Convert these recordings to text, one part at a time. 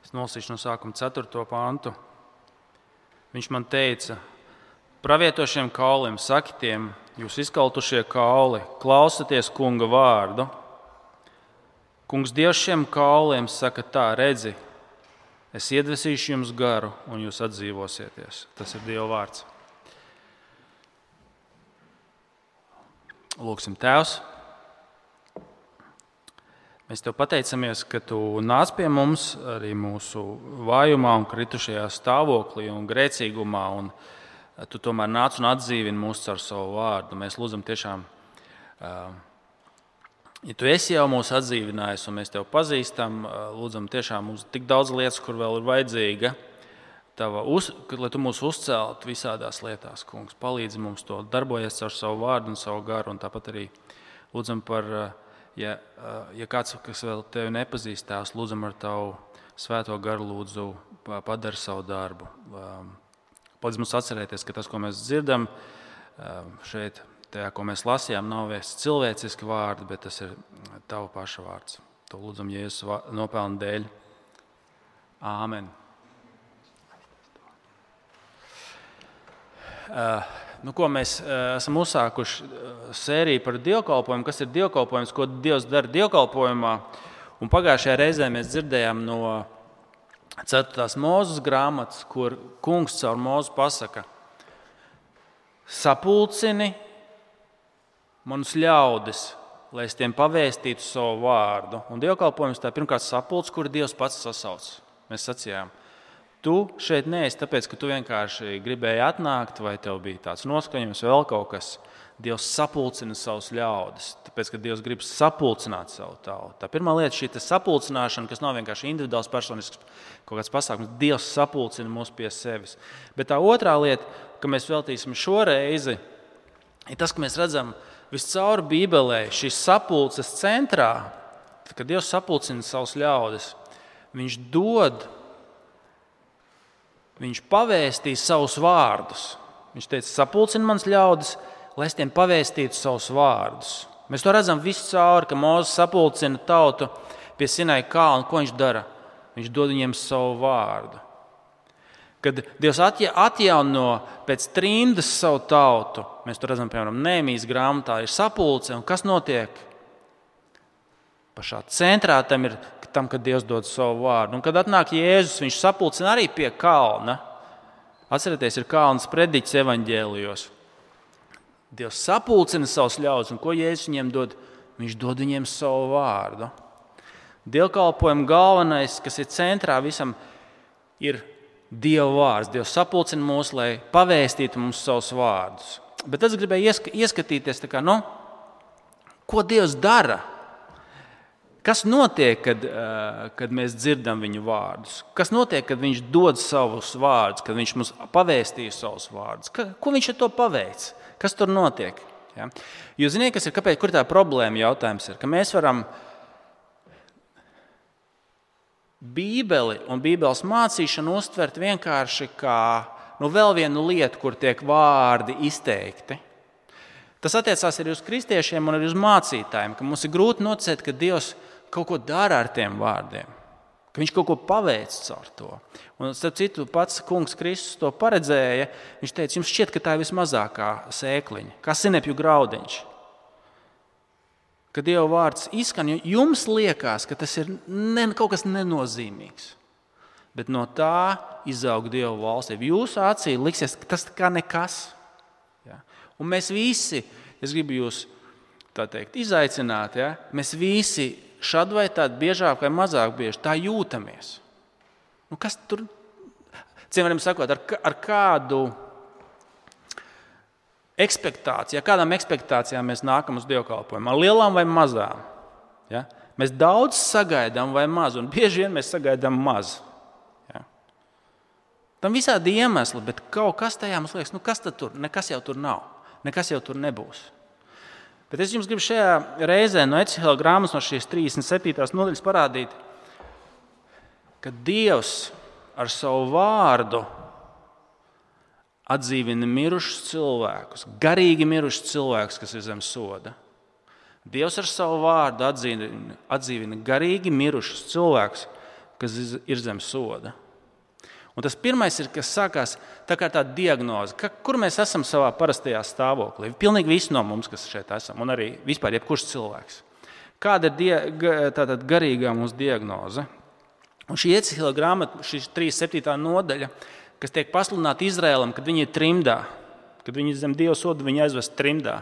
Es nolasīšu no sākuma 4. pantu. Viņš man teica, pravietošiem kauliem, saki tiem, jūs izkaltušie kauli, klausieties kunga vārdu. Kungs Dievs šiem kauliem saka tā, redzi, es iedvesīšu jums garu un jūs atdzīvosieties. Tas ir Dieva vārds. Lūksim, Tēvs. Mēs Tev pateicamies, ka Tu nāc pie mums arī mūsu vājumā un kritušajā stāvoklī un grēcīgumā, un Tu tomēr nāc un atdzīvini mūs caur savu vārdu. Mēs lūdzam tiešām, ja Tu esi jau mūs atdzīvinājis un mēs Tev pazīstam, lūdzam tiešām mums tik daudz lietas, kur vēl ir vajadzīga, lai Tu mūs uzceltu visādās lietās, kungs. Palīdzi mums to darbojies caur savu vārdu un savu garu, un tāpat arī lūdzam par, ja kāds, kas vēl Tevi nepazīst, Tēvs, lūdzam ar Tavu svēto garu, lūdzu, padari savu darbu. Palīdzi mums atcerēties, ka tas, ko mēs dzirdam šeit, tajā, ko mēs lasījām, nav vairs cilvēciski vārdi, bet tas ir Tava paša vārds. To lūdzam Jēzus nopelna dēļ. Āmen. Mēs esam uzsākuši sēriju par dievkalpojumu, kas ir dievkalpojums, ko Dievs dara dievkalpojumā. Un pagājušajā reizē mēs dzirdējām no 4. Mūzes grāmatas, kur kungs caur Mūzu pasaka, sapulcini manus ļaudis, lai es tiem pavēstītu savu vārdu. Un dievkalpojums tā pirmkārt sapulcs, kur Dievs pats sasauc. Mēs sacījām, tu šeit neesi tāpēc, ka tu vienkārši gribēji atnākt, vai tev bija tāds noskaņojums, vēl kaut kas. Dievs sapulcina savus ļaudis, tāpēc, ka Dievs grib sapulcināt savu tautu. Tā pirmā lieta, šī sapulcināšana, kas nav vienkārši individuāls, personisks kaut kāds pasākums, Dievs sapulcina mūs pie sevis. Bet tā otrā lieta, ka mēs veltīsim šo reizi, ir tas, ka mēs redzam viscaur Bībelē šīs sapulces centrā, kad Dievs sapulcina savus ļaudis, Viņš pavēstīs savus vārdus. Viņš teica, sapulcini mans ļaudis, lai es tiem pavēstītu savus vārdus. Mēs to redzam visu cauri, ka Mūzes sapulcina tautu pie Sinai kalna. Ko viņš dara? Viņš dod viņiem savu vārdu. Kad Dievs atjauno pēc trimdas savu tautu, mēs to redzam, piemēram, Nehēmijas grāmatā ir sapulce, un kas notiek? Pašā centrā tam, kad Dievs dod savu vārdu. Un kad atnāk Jēzus, viņš sapulcina arī pie kalna. Atcerieties, ir kalns prediķis evaņģēlijos. Dievs sapulcina savus ļaudis, un ko Jēzus viņiem dod? Viņš dod viņiem savu vārdu. Dievkalpojuma galvenais, kas ir centrā visam, ir Dieva vārds. Dievs sapulcina mūs, lai pavēstītu mums savus vārdus. Bet es gribēju ieskatīties, ko Dievs dara. Kas notiek, kad mēs dzirdam viņu vārdus? Kas notiek, kad viņš dod savus vārdus, kad viņš mums pavēstīja savus vārdus? Ko viņš ar to paveic? Kas tur notiek? Ja? Jūs zināt, kur tā problēma jautājums ir? Ka mēs varam Bībeli un Bībeles mācīšanu uztvert vienkārši kā vēl vienu lietu, kur tiek vārdi izteikti. Tas attiecās arī uz kristiešiem un arī uz mācītājiem, ka mums ir grūti noticēt, ka Dievs kaut ko dara ar tiem vārdiem, ka viņš kaut ko paveic caur to. Un, starp citu, pats kungs Kristus to paredzēja. Viņš teica, jums šķiet, ka tā ir vismazākā sēkliņa, kā sinepju graudiņš. Kad Dieva vārds izskan, jums liekas, ka tas ir kaut kas nenozīmīgs. Bet no tā izaug Dieva valstība. Jūsu acī liksies, ka tas kā nekas. Ja? Un mēs visi, es gribu jūs izaicināt, ja? Mēs visi šad vai tād biežāk vai mazāk bieži tā jūtamies. Kas tur, cienījamiem sakot, ar kādu ekspektāciju, kādām ekspektācijām mēs nākam uz dievkalpojumu, ar lielām vai mazām? Ja? Mēs daudz sagaidām vai maz, un bieži vien mēs sagaidām maz. Ja? Tam visādi iemesli, bet kaut kas tajā mums liekas, kas tad tur? Nekas jau tur nav, nekas jau tur nebūs. Bet es jums gribu šajā reizē no Ecihela grāmatas, no šīs 37. nodaļas parādīt, ka Dievs ar savu vārdu atdzīvina mirušus cilvēkus, garīgi mirušus cilvēkus, kas ir zem soda. Dievs ar savu vārdu atdzīvina garīgi mirušus cilvēkus, kas ir zem soda. Un tas pirmais ir, kas sākās tā kā tāda diagnoze, kur mēs esam savā parastajā stāvoklī. Pilnīgi visi no mums, kas šeit esam, un arī vispār jebkurš cilvēks. Kāda ir tātad garīgā mūsu diagnoze? Un šī Ecehila grāmata, šī 37. nodaļa, kas tiek pasludināta Izraēlam, kad viņi ir trimdā, kad viņi zem Dieva soda, viņi aizvest trimdā.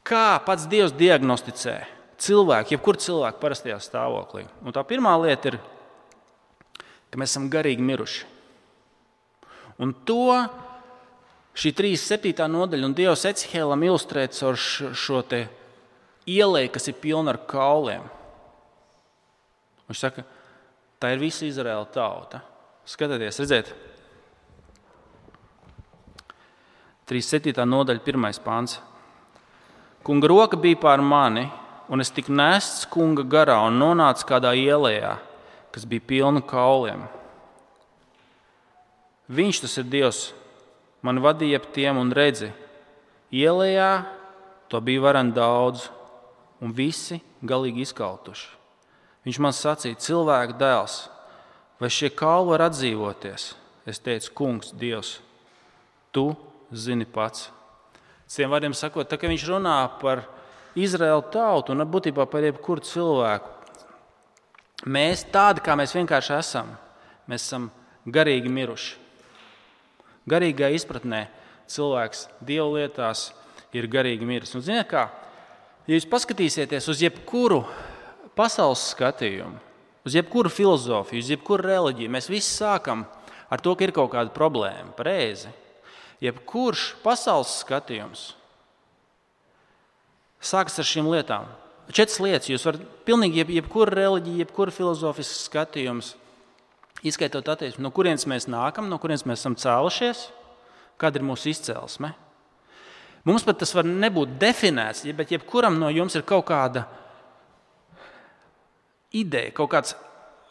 Kā pats Dievs diagnosticē cilvēku, jebkuru cilvēku parastajā stāvoklī? Un tā pirmā lieta ir, ka mēs esam garīgi miruši. Un to šī 37. nodaļa un Dievs Ecehilam ilustrē caur šo te ieleju, kas ir pilna ar kauliem. Viņš saka, tā ir visa Izraēla tauta. Skatieties, redziet, 37. nodaļa, 1. pants. Kunga roka bija pār mani, un es tiku nests kunga garā un nonācu kādā ielējā, kas bija pilna kauliem. Viņš, tas ir Dievs, man vadīja ap tiem un redzi, ielējā to bija varen daudz, un visi galīgi izkaltuši. Viņš man sacīja, cilvēka dēls, vai šie kauli var atdzīvoties? Es teicu, kungs, Dievs, tu zini pats. Citiem vārdiem sakot, tā kā viņš runā par Izraēlu tautu un būtībā par jebkuru cilvēku, mēs tādi, kā mēs vienkārši esam, mēs esam garīgi miruši. Garīgā izpratnē cilvēks Dieva lietās ir garīgi miris. Un ziniet kā, ja jūs paskatīsieties uz jebkuru pasaules skatījumu, uz jebkuru filozofiju, uz jebkuru reliģiju, mēs visi sākam ar to, ka ir kaut kāda problēma, pareizi. Jebkurš pasaules skatījums sākas ar šīm lietām. 4 lietas. Jūs varat pilnīgi jebkura reliģija, jebkura filozofisks skatījums, izskaitot attieksmi, no kurienes mēs nākam, no kurienes mēs esam cēlušies, kāda ir mūsu izcelsme. Mums pat tas var nebūt definēts, bet jebkuram no jums ir kaut kāda ideja, kaut kāds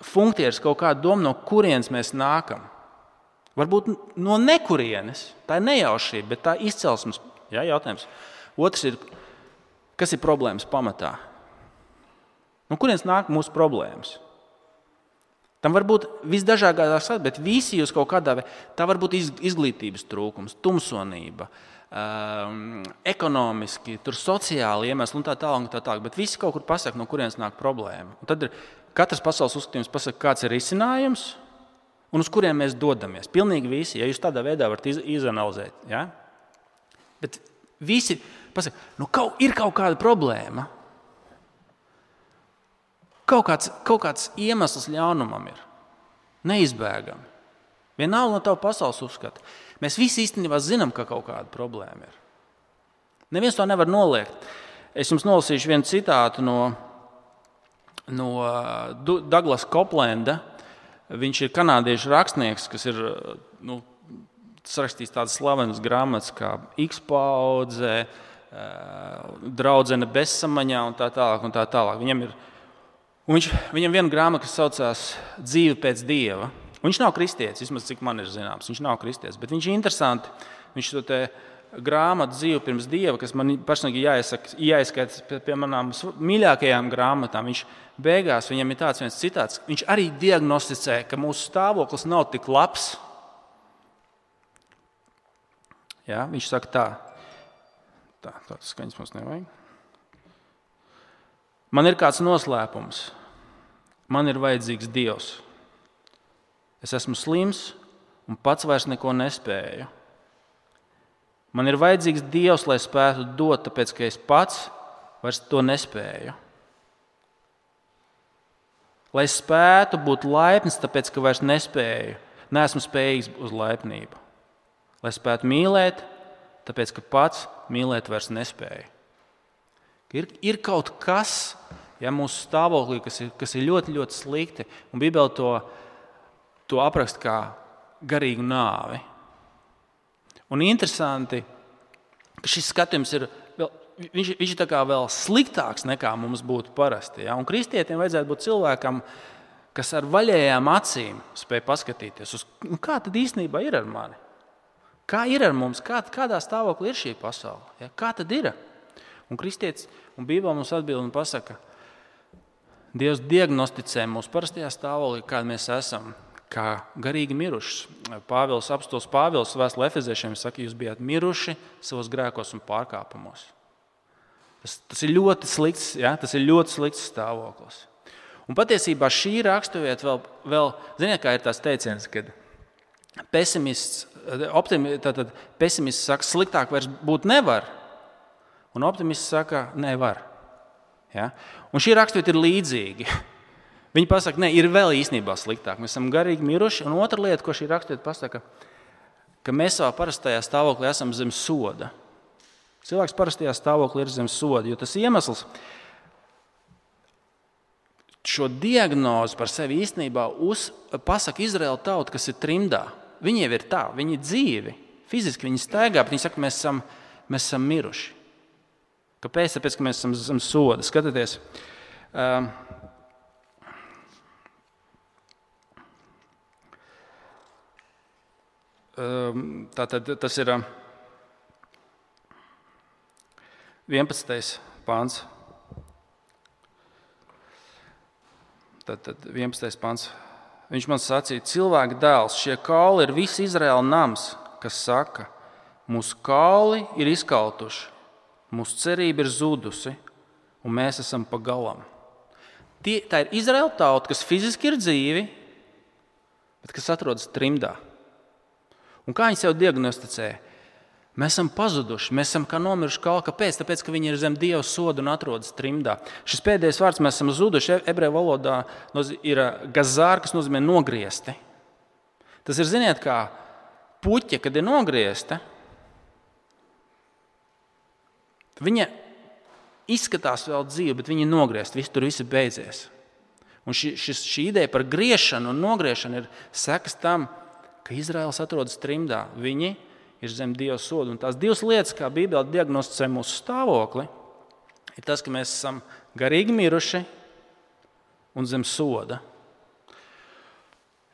funkcijas, kaut kāda doma, no kurienes mēs nākam. Varbūt no nekurienes. Tā ir nejaušība, bet tā ir izcelsmes jautājums. Otrs ir, kas ir problēmas pamatā? No kurienes nāk mūsu problēmas? Tam var būt visdažādākās, bet visi jūs kaut kādā veidā, tā var būt izglītības trūkums, tumsonība, ekonomiski, sociāli iemesli un tā tālāk, bet visi kaut kur pasaka, no kurienes nāk problēma. Un tad ir katrs pasaules uzskatījums pasaka, kāds ir risinājums, un uz kuriem mēs dodamies. Pilnīgi visi, ja jūs tādā veidā varat izanalizēt. Ja? Bet visi pasaka, ir kaut kāda problēma. Kaut kāds iemesls ļaunumam ir. Neizbēgami. Vienalga no tava pasaules uzskata. Mēs visi īstenībā zinām, ka kaut kāda problēma ir. Neviens to nevar noliegt. Es jums nolasīšu vienu citātu no Douglas Coplanda. Viņš ir kanādiešu rakstnieks, kas ir sarakstījis tādas slavenas grāmatas kā X-paudze, Draudzene bezsamaņā un tā tālāk. Viņam viena grāmata, kas saucās Dzīve pēc Dieva. Viņš nav kristietis, vismaz cik man ir zināms. Viņš nav kristietis, bet viņš ir interesanti. Viņš to te grāmatu Dzīve pirms Dieva, kas man personīgi jāizskaita pie manām mīļākajām grāmatām. Viņš beigās, viņam ir tāds viens citāts, viņš arī diagnosticē, ka mūsu stāvoklis nav tik labs. Jā, viņš saka tā. Tāds skaņas mums nevajag. Man ir kāds noslēpums. Man ir vajadzīgs Dievs. Es esmu slims un pats vairs neko nespēju. Man ir vajadzīgs Dievs, lai spētu dot, tāpēc, ka es pats vairs to nespēju. Lai spētu būt laipns, tāpēc, ka vairs nespēju, neesmu spējīgs uz laipnību. Lai spētu mīlēt, tāpēc, ka pats mīlēt vairs nespēju. Ir kaut kas, mūsu stāvoklī, kas ir ļoti, ļoti slikti, un Bībele to apraksta kā garīgu nāvi. Un interesanti, ka šis skatījums viņš ir tā kā vēl sliktāks nekā mums būtu parasti. Ja? Un kristietim vajadzētu būt cilvēkam, kas ar vaļējām acīm spēj paskatīties uz, kā tad īstenībā ir ar mani? Kā ir ar mums? Kādā stāvoklī ir šī pasaule? Ja? Kā tad ir? Un kristietis un Bībele mums atbild un pasaka, Dievs diagnosticē mūsu parastajā stāvoklī, kāda mēs esam, kā garīgi miruši. Apostols Pāvils vēstulē Efeziešiem saka, jūs bijāt miruši savos grēkos un pārkāpumos. Tas ir ļoti slikts, tas ir ļoti slikts stāvoklis. Un patiesībā šī raksturvieta vēl ziniet, kā ir tās teiciens, kad pesimists saka, sliktāk vairs būt nevar, un optimists saka, nevar. Ja? Un šī raksturvieta ir līdzīga. Viņi pasaka, ne, ir vēl īstenībā sliktāk. Mēs esam garīgi miruši, un otra lieta, ko šī raksturvieta pasaka, ka mēs savā parastajā stāvoklī esam zem soda. Cilvēks parastajā stāvoklī ir zem soda, jo tas iemesls šo diagnozi par sevi īstenībā pasaka Izraēla tauta, kas ir trimdā. Viņi jau ir tā, viņi ir dzīvi, fiziski viņi staigā, bet viņi saka, mēs esam miruši. Kāpēc? Tāpēc, ka mēs esam zem soda. Skatieties, tātad tas ir 11. pāns. Tātad 11. pāns. Viņš man sacīja, cilvēka dēls, šie kauli ir visi Izraēla nams, kas saka, mūsu kauli ir izkautuši, mūsu cerība ir zudusi, un mēs esam pa galam. Tā ir Izraēla tauta, kas fiziski ir dzīvi, bet kas atrodas trimdā. Un kā viņi sev diagnosticē? Mēs esam pazuduši, mēs esam kā nomiruši kauli. Kāpēc? Tāpēc, ka viņi ir zem Dieva soda un atrodas trimdā. Šis pēdējais vārds, mēs esam zuduši, ebreju valodā ir gazār, kas nozīmē nogriezti. Tas ir, ziniet, kā puķe, kad ir nogriezta, viņa izskatās vēl dzīva, bet viņa ir nogriezta, tur viss ir beidzies. Un šī ideja par griešanu un nogriešanu ir sekas tam, ka Izraēls atrodas trimdā. Viņi ir zem Dieva soda. Un tās divas lietas, kā Bībele diagnosticē mūsu stāvokli, ir tas, ka mēs esam garīgi miruši un zem soda.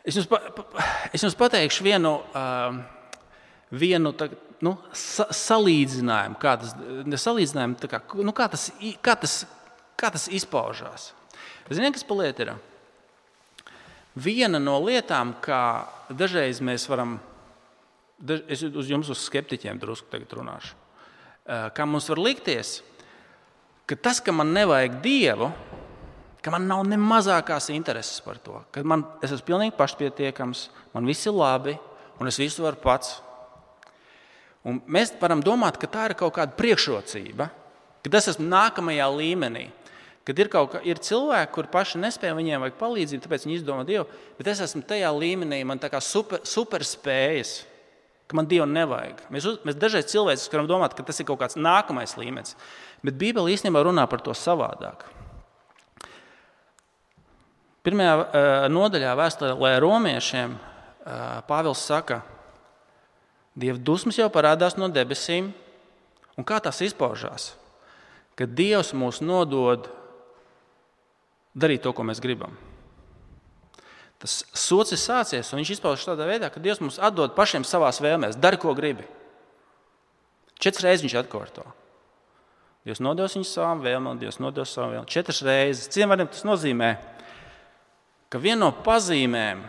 Es jums pateikšu vienu salīdzinājumu, kā tas izpaužās. Ziniet, kas pa lietu ir? Viena no lietām, kā dažreiz mēs varam, es uz skeptiķiem drusku tagad runāšu, kā mums var likties, ka tas, ka man nevajag Dievu, ka man nav ne mazākās intereses par to, ka es esmu pilnīgi pašpietiekams, man viss ir labi un es visu varu pats. Un mēs varam domāt, ka tā ir kaut kāda priekšrocība, ka es esmu nākamajā līmenī. Kad ir cilvēki, kuri paši nespēja, viņiem vajag palīdzību, tāpēc viņi izdomā Dievu, bet es esmu tajā līmenī, man tā kā super spējas, ka man Dievu nevajag. Mēs dažreiz cilvēci varam domāt, ka tas ir kaut kāds nākamais līmenis, bet Bībele īstenībā runā par to savādāk. Pirmajā nodaļā vēstulē romiešiem Pāvils saka, Dieva dusmas jau parādās no debesīm, un kā tas izpaužās? Kad Dievs mūs nodod darīt to, ko mēs gribam. Tas sots ir sācies, un viņš izpaužas tādā veidā, ka Dievs mums atdod pašiem savās vēlmēs. Dari, ko gribi. 4 reizes viņš atkārto. Dievs nodos viņu savām vēlmēm, Dievs nodos savām vēlmēm. 4 reizes. Citiem vārdiem tas nozīmē, ka viena no pazīmēm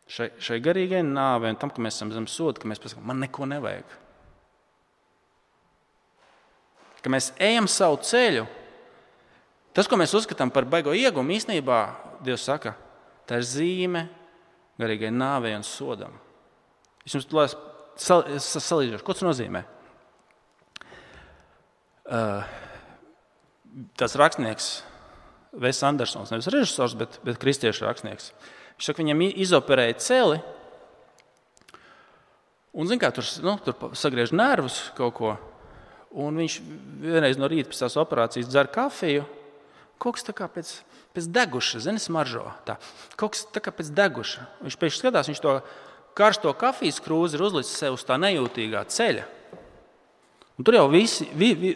šai garīgai nāvei un tam, ka mēs esam zem soda, ka mēs pasakām, man neko nevajag. Ka mēs ejam savu ceļu. Tas, ko mēs uzskatām par baigo iegumu, īstenībā Dievs saka, tā ir zīme garīgai nāvei un sodam. Es jums salīdzināšu, ko tas nozīmē. Tas rakstnieks Wes Andersons, nevis režisors, bet kristiešu rakstnieks. Viņš saka, viņam izoperēja celi, un zin kā, tur sagriež nervus kaut ko, un viņš vienreiz no rīta pēc tās operācijas dzer kafiju, kaut kas tā kā pēc deguša, zini, smaržo. Tā. Kaut kas tā kā pēc deguša. Viņš pēc skatās, viņš to karsto kafijas krūzi ir uzlicis sev uz tā nejūtīgā ceļa. Un tur jau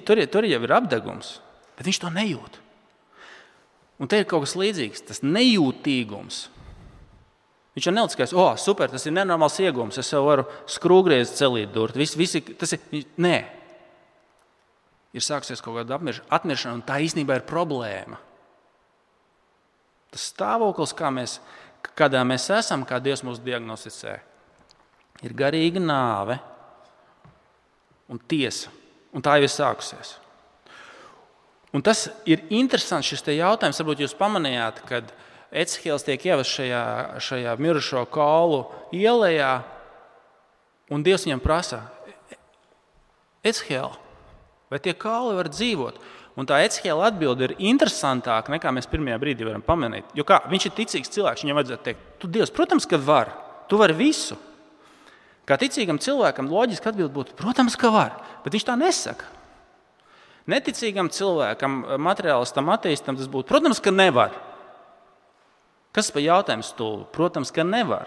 tur jau ir apdegums, bet viņš to nejūt. Un te ir kaut kas līdzīgs, tas nejūtīgums. Viņš jau nelicis, super, tas ir nenormāls iegums, es sev varu skrūgriezt celīt durt. Nē. Ir sāksies kaut kāda atmiršana, un tā īstenībā ir problēma. Tas stāvoklis, kādā mēs esam, kā Dievs mūs diagnosticē, ir garīga nāve un tiesa. Un tā jau ir sākusies. Un tas ir interesants šis jautājums. Varbūt jūs pamanījāt, kad Ecehēls tiek ievests šajā mirušo kaulu ielējā, un Dievs viņam prasa: Ecehēl, vai tie kauli var dzīvot? Un tā Ecehēla atbilde ir interesantāka, nekā mēs pirmajā brīdī varam pamanīt. Jo viņš ir ticīgs cilvēks, viņam vajadzētu teikt: Tu, Dievs, protams, ka var. Tu vari visu. Kā ticīgam cilvēkam loģiski atbild būtu: Protams, ka var. Bet viņš tā nesaka. Neticīgam cilvēkam, materiālistam, ateistam tas būtu: Protams, ka nevar. Kas par jautājumu stulbi? Protams, ka nevar.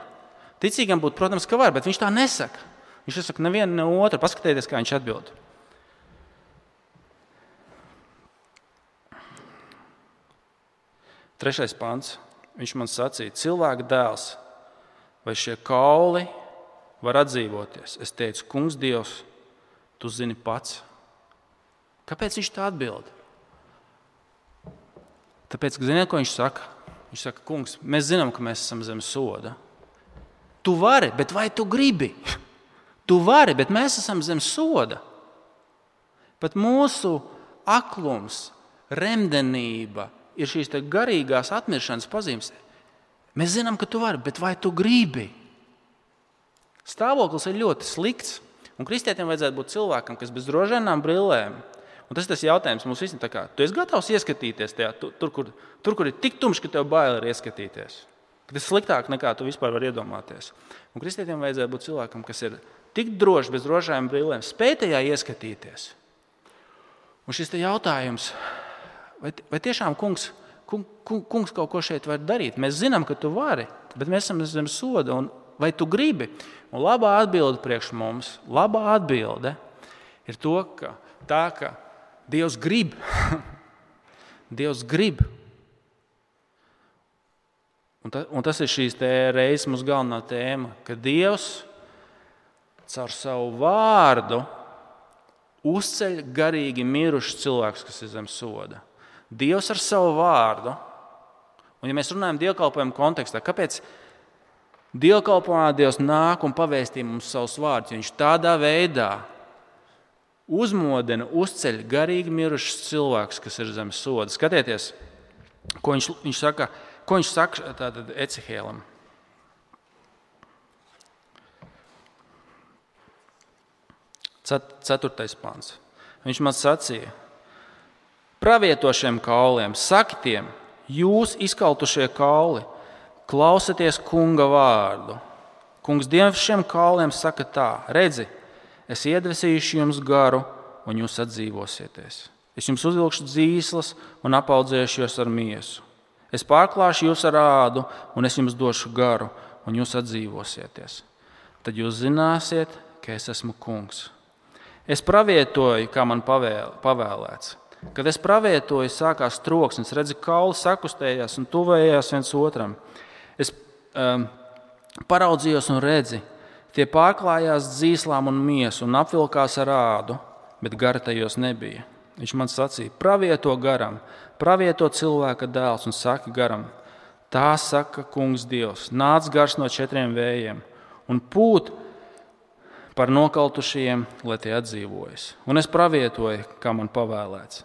Ticīgam būtu: Protams, ka var, bet viņš tā nesaka. Viņš nesaka nevienu, ne otru. Paskatieties, kā viņš atbild. 3. pants. Viņš man sacīja: Cilvēka dēls, vai šie kauli var atdzīvoties? Es teicu: Kungs Dievs, tu zini pats. Kāpēc viņš tā atbild? Tāpēc, ka ziniet, ko viņš saka? Viņš saka: Kungs, mēs zinām, ka mēs esam zem soda. Tu vari, bet vai tu gribi? Tu vari, bet mēs esam zem soda. Pat mūsu aklums, remdenība ir šīs garīgās atmiršanas pazīmes. Mēs zinām, ka tu vari, bet vai tu gribi? Stāvoklis ir ļoti slikts. Un kristietim vajadzētu būt cilvēkam, kas bez rožainām brillēm. Un tas ir tas jautājums mums visiem. Tu esi gatavs ieskatīties tajā, tur, kur ir tik tumšs, ka tev bail ir ieskatīties. Ka tas ir sliktāk, nekā tu vispār vari iedomāties. Un kristietim vajadzētu būt cilvēkam, kas ir tik drošs bez rožainām brillēm, spēj tajā ieskatīties. Un šis jautājums: Vai tiešām kungs kaut ko šeit var darīt? Mēs zinām, ka tu vari, bet mēs esam zem soda. Vai tu gribi? Un labā atbilde priekš mums, labā atbilde ir ka Dievs grib. Dievs grib. Un tas ir šīs reizes mūsu galvenā tēma, ka Dievs caur savu vārdu uzceļ garīgi mirušus cilvēkus, kas ir zem soda. Dievs ar savu vārdu, un ja mēs runājam dievkalpojumu kontekstā, kāpēc dievkalpojumā Dievs nāk un pavēstī mums savus vārdus? Viņš tādā veidā uzmodina, uzceļ garīgi mirušus cilvēkus, kas ir zem soda. Skatieties, ko viņš saka tātad Ecehēlam. 4. pants. Viņš man sacīja: Pravieto šiem kauliem, saki tiem: Jūs izkaltušie kauli, klausieties kunga vārdu. Kungs Dievs šiem kauliem saka tā: Redzi, es iedvesīšu jums garu, un jūs atdzīvosieties. Es jums uzvilkšu dzīslas un apaudzēšu jūs ar miesu. Es pārklāšu jūs ar ādu, un es jums došu garu, un jūs atdzīvosieties. Tad jūs zināsiet, ka es esmu kungs. Es pravietoju, kā man pavēlēts. Kad es pravietoju, sākās troksnis, redzi, kauli sakustējās un tuvējās viens otram. Es paraudzījos un redzi, tie pārklājās dzīslām un miesu un apvilkās ar ādu, bet gara tajos nebija. Viņš man sacīja: Pravieto garam, pravieto cilvēka dēls un saki garam: Tā saka kungs Dievs, nāc gars no 4 vējiem un pūt par nokaltušajiem, lai tie atdzīvojas. Un es pravietoju, kā man pavēlēts.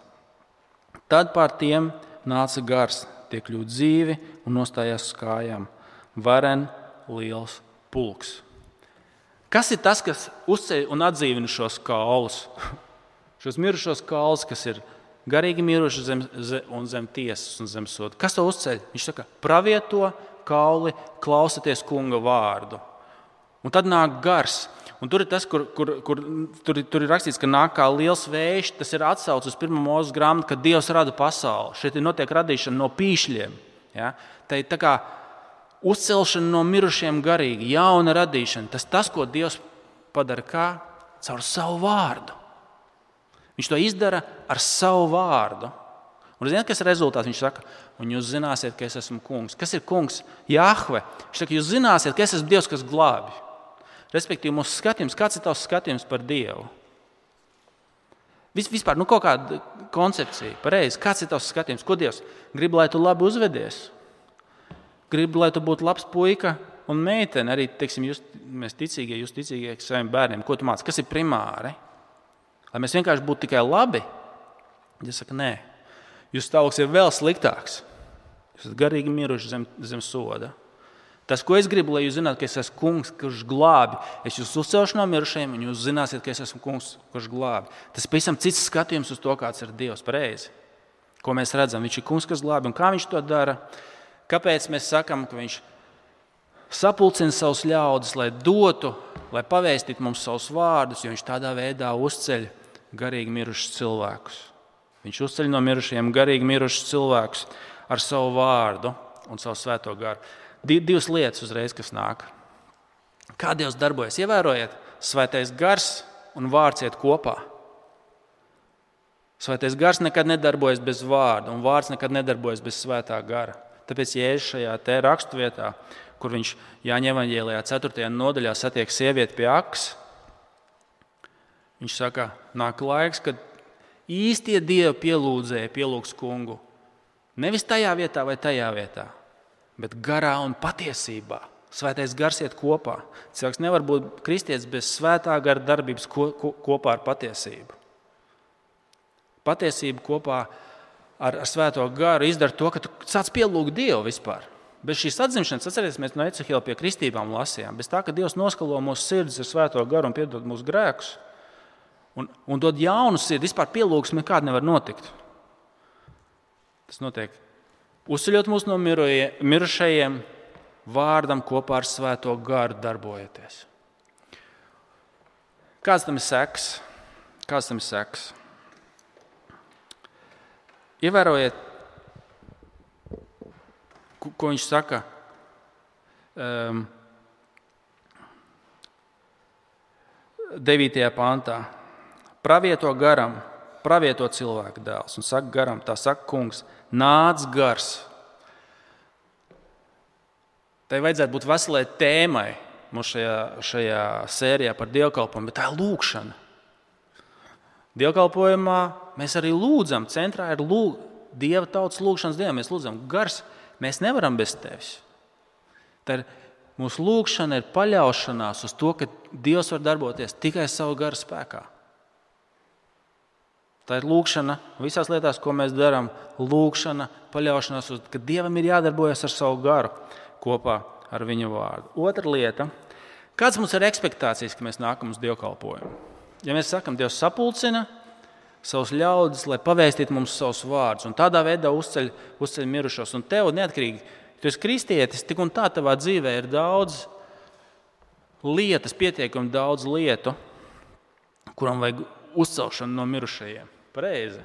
Tad pār tiem nāca gars, tie kļūt dzīvi un nostājās uz kājām. Varen liels pulks. Kas ir tas, kas uzceļ un atdzīvina šos kaulus? Šos mirušos kaulus, kas ir garīgi miruši zem tiesas un zem soda. Kas to uzceļ? Viņš saka: Pravieto kauli, klausieties kunga vārdu. Un tad nāk gars. Un tur ir tas, kur ir rakstīts, ka nāk kā liels vējš. Tas ir atsauce uz 1. Mūzes grāmatu, kad Dievs rada pasauli. Šeit ir notiek radīšana no pīšļiem. Ja? Tā ir tā kā uzcelšana no mirušiem garīgi, jauna radīšana. Tas, ko Dievs padara kā? Caur savu vārdu. Viņš to izdara ar savu vārdu. Un zināt, kas ir rezultāts? Viņš saka: Un jūs zināsiet, ka es esmu kungs. Kas ir kungs? Jahve. Viņš saka: Jūs zināsiet, ka es esmu Dievs, kas glābj. Respektīvi, mūsu skatījums, kāds ir tavs skatījums par Dievu? Vispār, kaut kāda koncepcija, pareizi, kāds ir tavs skatījums? Ko Dievs grib, lai tu labi uzvedies? gribu, lai tu būtu labs puika un meitene. Arī, teiksim, mēs ticīgie, jūs ticīgie saviem bērniem. Ko tu māci? Kas ir primāri? Lai mēs vienkārši būtu tikai labi? Ja saka, nē. Jūsu stāvoklis ir vēl sliktāks. Jūs esat garīgi miruši zem soda. Tas, ko es gribu, lai jūs zinātu, ka es esmu kungs, kurš glābi. Es jūs uzcelšu no mirušajiem, un jūs zināsiet, ka es esmu kungs, kurš glābi. Tas ir pavisam cits skatījums uz to, kāds ir Dievs. Pareizi. Ko mēs redzam? Viņš ir kungs, kas glābi. Un kā viņš to dara? Kāpēc mēs sakam, ka viņš sapulcina savus ļaudis, lai dotu, lai pavēstītu mums savus vārdus, jo viņš tādā veidā uzceļ garīgi mirušus cilvēkus. Viņš uzceļ no mirušajiem garīgi mirušus cilvēkus ar savu vārdu un savu svēto garu. Divas lietas uzreiz, kas nāk. Kā Dievs darbojas? Ievērojiet, svētais gars un vārds iet kopā. Svētais gars nekad nedarbojas bez vārda, un vārds nekad nedarbojas bez svētā gara. Tāpēc Jēzus šajā te raksturvietā, kur viņš Jāņa evaņģēlijā 4. nodaļā satiek sievieti pie akas, viņš saka, nāk laiks, kad īstie Dieva pielūdzēji pielūgs kungu. Nevis tajā vietā vai tajā vietā, bet garā un patiesībā. Svētais gars iet kopā. Cilvēks nevar būt kristietis bez svētā gara darbības kopā ar patiesību. Patiesība kopā ar svēto garu izdara to, ka tu sāc pielūgt Dievu vispār. Bez šīs atzimšanas, atcerieties, mēs no Ecehila pie kristībām lasījām. Bez tā, ka Dievs noskalo mūsu sirdis ar svēto garu un piedod mūsu grēkus un dod jaunu sirdi, vispār pielūgsme nekāda nevar notikt. Tas notiek uzceļot mūs no mirušajiem, vārdam kopā ar svēto garu darbojoties. Kāds tam ir seks? Ievērojiet, ko viņš saka. 9. pantā. Pravieto garam, pravieto cilvēku dēls. Un saka garam, tā saka kungs, nāc gars. Tai vajadzētu būt veselai tēmai mums šajā sērijā par dievkalpojumu, bet tā ir lūkšana. Dievkalpojumā mēs arī lūdzam, centrā ir Dieva tautas lūkšanas dieva. Mēs lūdzam, gars, mēs nevaram bez tevis. Tā ir mūsu lūkšana ir paļaušanās uz to, ka Dievs var darboties tikai savu garu spēkā. Tā ir lūkšana visās lietās, ko mēs darām. Lūkšana, paļaušanās uz to, ka Dievam ir jādarbojas ar savu garu kopā ar viņa vārdu. Otra lieta. Kāds mums ir ekspektācijas, ka mēs nākam uz dievkalpojumu? Ja mēs sakam, Dievs sapulcina savus ļaudis, lai pavēstītu mums savus vārdus, un tādā veidā uzceļ mirušos. Un tev neatkarīgi, ja tu esi kristietis, tik un tā tavā dzīvē ir daudz lietas, pietiekami daudz lietu, kuram vajag uzcelšanu no mirušajiem. Pareizi.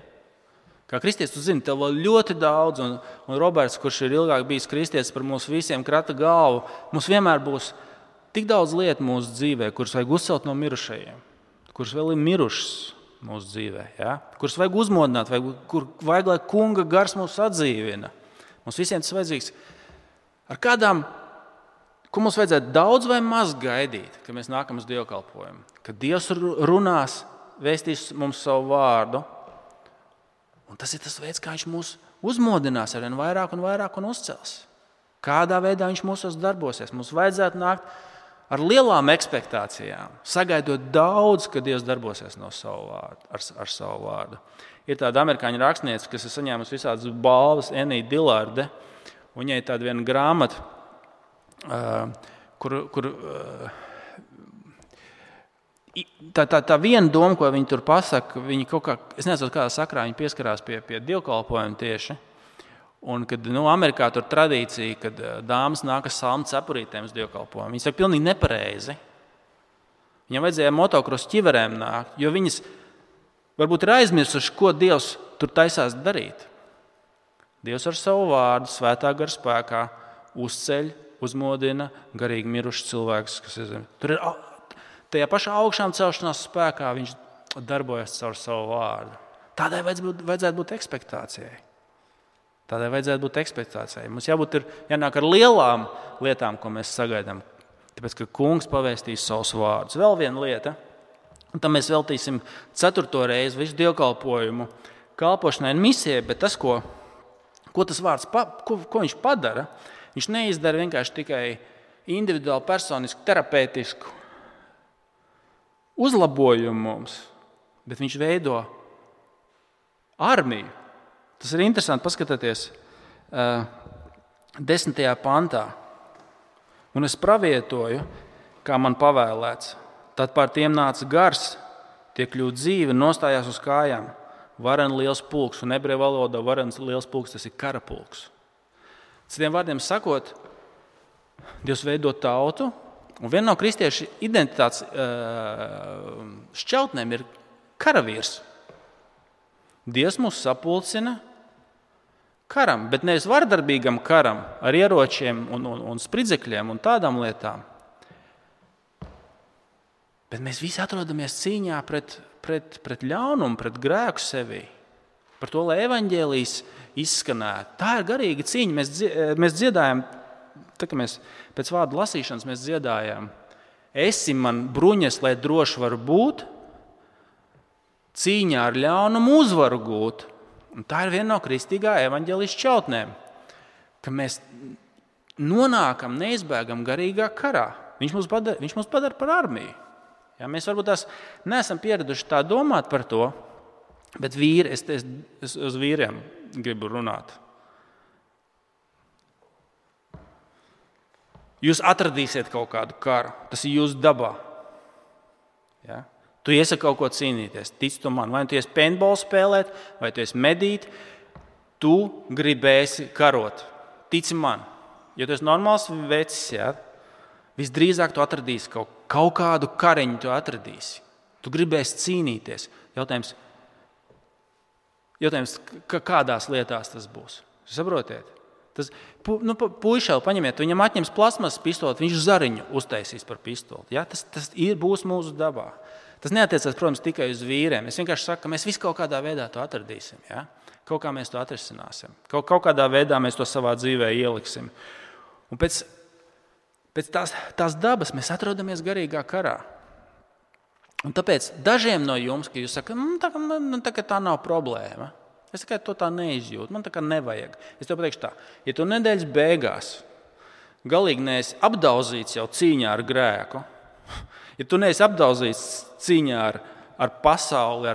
Kā kristietis, tu zini, tev vēl ļoti daudz, un Roberts, kurš ir ilgāk bijis kristietis par mūsu visiem krata galvu, mums vienmēr būs tik daudz lietu mūsu dzīvē, kuras vajag uzcelt no mirušajiem, kuras vēl ir mirušas mūsu dzīvē, ja? Kuras vajag uzmodināt, kur vajag, lai kunga gars mūs atdzīvina. Mums visiem tas vajadzīgs. Ar kādām, ko mums vajadzētu daudz vai maz gaidīt, kad mēs nākam uz dievkalpojumu? Kad Dievs runās, vēstīs mums savu vārdu, un tas ir tas veids, kā viņš mūs uzmodinās arvien vairāk un uzcels. Kādā veidā viņš mūsos darbosies. Mums vajadzētu nākt ar lielām ekspektācijām, sagaidot daudz, ka Dievs darbosies no savu vārdu, ar savu vārdu. Ir tāda amerikāņu rakstniece, kas ir saņēmusi visādas balvas, Enija Dilārde. Viņai ir tāda viena grāmata, kur tā viena doma, ko viņi tur pasaka, viņi kaut kā, es nezinu, kādā sakrā viņi pieskarās pie dievkalpojuma tieši. Un kad Amerikā tur tradīcija, kad dāmas nāk ar salmu cepurītēm uz dievkalpojumu, viņi saka pilnīgi nepareizi. Viņam vajadzēja motokrosu ķiverēm nākt, jo viņas varbūt ir aizmirsuši, ko Dievs tur taisās darīt. Dievs ar savu vārdu, svētā gara spēkā, uzceļ, uzmodina garīgi mirušus cilvēkus, kas ir zem. Tur ir tajā pašā augšām celšanās spēkā viņš darbojas caur savu vārdu. Tādai vajadzētu būt ekspektācijai. Mums jānāk ar lielām lietām, ko mēs sagaidām. Tāpēc, ka kungs pavēstīs savus vārdus. Vēl viena lieta, un tam mēs veltīsim 4. reizi visu dievkalpojumu kalpošanai un misijai, bet tas, ko tas vārds, ko viņš padara, Viņš neizdara vienkārši tikai individuāli, personisku, terapeitisku uzlabojumu mums, bet viņš veido armiju. Tas ir interesanti paskatīties 10. pantā. Un es pravietoju, kā man pavēlēts. Tad pār tiem nāca gars, tie kļūst dzīvi un nostājās uz kājām. Varen liels pulks, un ebreju valodā varens liels pulks, tas ir karapulks. Citiem vārdiem sakot, Dievs veido tautu, un viena no kristiešu identitātes šķautnēm ir karavīrs. Dievs mūs sapulcina karam, bet nevis vardarbīgam karam ar ieročiem un spridzekļiem un tādām lietām. Bet mēs visi atrodamies cīņā pret ļaunumu, pret grēku sevī. Par to, lai evaņģēlijs izskanētu. Tā ir garīga cīņa. Mēs dziedājam, tā kā mēs pēc vārdu lasīšanas mēs dziedājām. Esi man bruņas, lai droši varu būt, cīņā ar ļaunumu uzvaru gūt. Un tā ir viena no kristīgā evaņģēlijas šķautnēm, ka mēs nonākam, neizbēgam garīgā karā. Viņš mūs padara par armiju. Ja, mēs varbūt tās neesam pieraduši tā domāt par to, bet es uz vīriem gribu runāt. Jūs atradīsiet kaut kādu karu, tas ir jūsu dabā. Ja? Tu iesi kaut ko cīnīties, tic tu man. Vai tu iesi paintball spēlēt, vai tu iesi medīt, tu gribēsi karot. Tici man. Ja tu esi normāls vecis, ja, visdrīzāk tu atradīsi kaut kādu kariņu, tu atradīsi. Tu gribēsi cīnīties. Jautājums, kādās lietās tas būs. Saprotiet? Puišēl paņemiet, viņam atņems plasmas pistoli, viņš zariņu uztaisīs par pistoli. Ja? Tas būs mūsu dabā. Tas neatiecās, protams, tikai uz vīriem. Es vienkārši saku, ka mēs visi kaut kādā veidā to atradīsim. Ja? Kaut kā mēs to atrisināsim. Kaut kādā veidā mēs to savā dzīvē ieliksim. Un pēc tās dabas mēs atrodamies garīgā karā. Un tāpēc dažiem no jums, ka jūs sakat, tā nav problēma. Es tikai to tā neizjūtu, man tā kā nevajag. Es tev pateikšu tā, ja tu nedēļas beigās galīgi neesi apdauzīts jau cīņā ar grēku, ja tu neesi apdauzīts cīņā ar pasauli,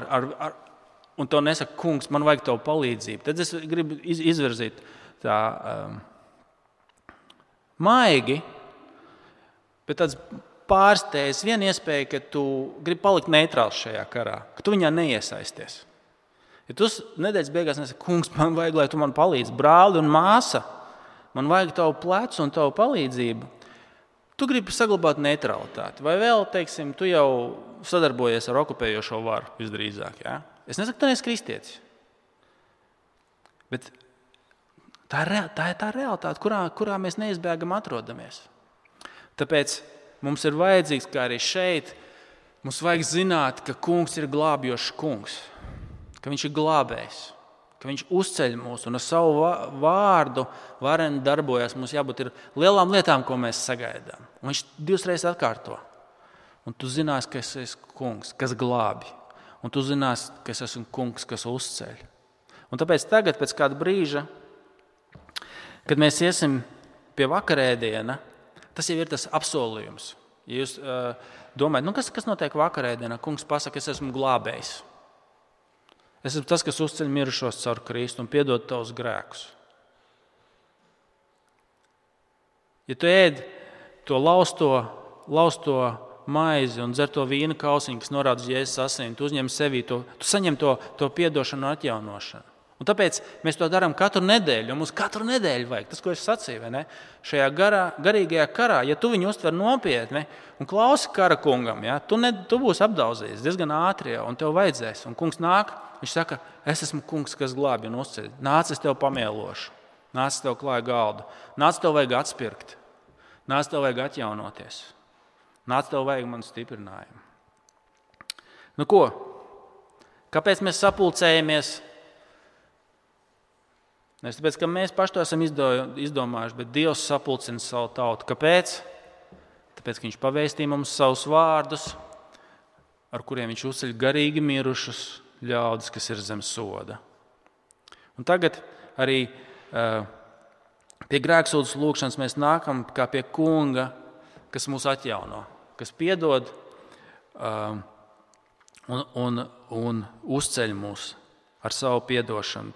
un tev nesaka, kungs, man vajag tavu palīdzību, tad es gribu izvirzīt tā maigi, bet tāds pārsteidz viena iespēja, ka tu gribi palikt neitrāls šajā karā, ka tu viņā neiesaisties. Ja tu nedēļas beigās nesaki, kungs, man vajag, lai tu man palīdzi, brāli un māsa, man vajag tavu plecu un tavu palīdzību, tu gribi saglabāt neutralitāti. Vai vēl, teiksim, tu jau sadarbojies ar okupējošo varu visdrīzāk. Ja? Es nesaku, tu neesi kristietis. Bet tā ir tā realitāte, kurā mēs neizbēgam atrodamies. Tāpēc mums ir vajadzīgs, kā arī šeit, mums vajag zināt, ka kungs ir glābjošs kungs. Ka viņš ir glābējs, ka viņš uzceļ mūs un ar savu vārdu varen darbojas. Mums jābūt ir lielām lietām, ko mēs sagaidām. Un viņš 2 reizes atkārto. Un tu zinās, ka es esmu kungs, kas glābi. Un tu zinās, ka es esmu kungs, kas uzceļ. Un tāpēc tagad, pēc kāda brīža, kad mēs iesim pie vakarēdiena, tas jau ir tas apsolījums. Ja jūs domājat, kas notiek vakarēdienā? Kungs pasaka, es esmu glābējs. Es esmu tas, kas uzceļ mirušos caur Kristu un piedod tavus grēkus. Ja tu ēd to lausto maizi un dzer to vīna kausiņu, kas norāda uz Jēzus asīm, tu uzņem sevī tu saņem to piedošanu un atjaunošanu. Un tāpēc mēs to darām katru nedēļu, un mums katru nedēļu vajag. Tas, ko es sacīju, vai ne? Šajā garīgajā karā, ja tu viņu uztver nopietni un klausi kara kungam, ja, tu būsi apdauzījies diezgan ātri jau, un tev vajadzēs. Un kungs nāk, viņš saka, es esmu kungs, kas glābi un uzceļ. Nāc, es tev pamielošu. Nāc, es tev klāju galdu. Nāc, tev vajag atspirkt. Nāc, tev vajag atjaunoties. Nāc, tev vajag manu stiprinājumu. Nu ko? Kāpēc mēs sapulcējamies? Nevis tāpēc, ka mēs paši to esam izdomājuši, bet Dievs sapulcina savu tautu. Kāpēc? Tāpēc, ka viņš pavēstīja mums savus vārdus, ar kuriem viņš uzceļ garīgi mirušus ļaudis, kas ir zem soda. Un tagad arī Pie grēksūdzes lūgšanas mēs nākam kā pie Kunga, kas mūs atjauno, kas piedod un uzceļ mūs ar savu piedošanu.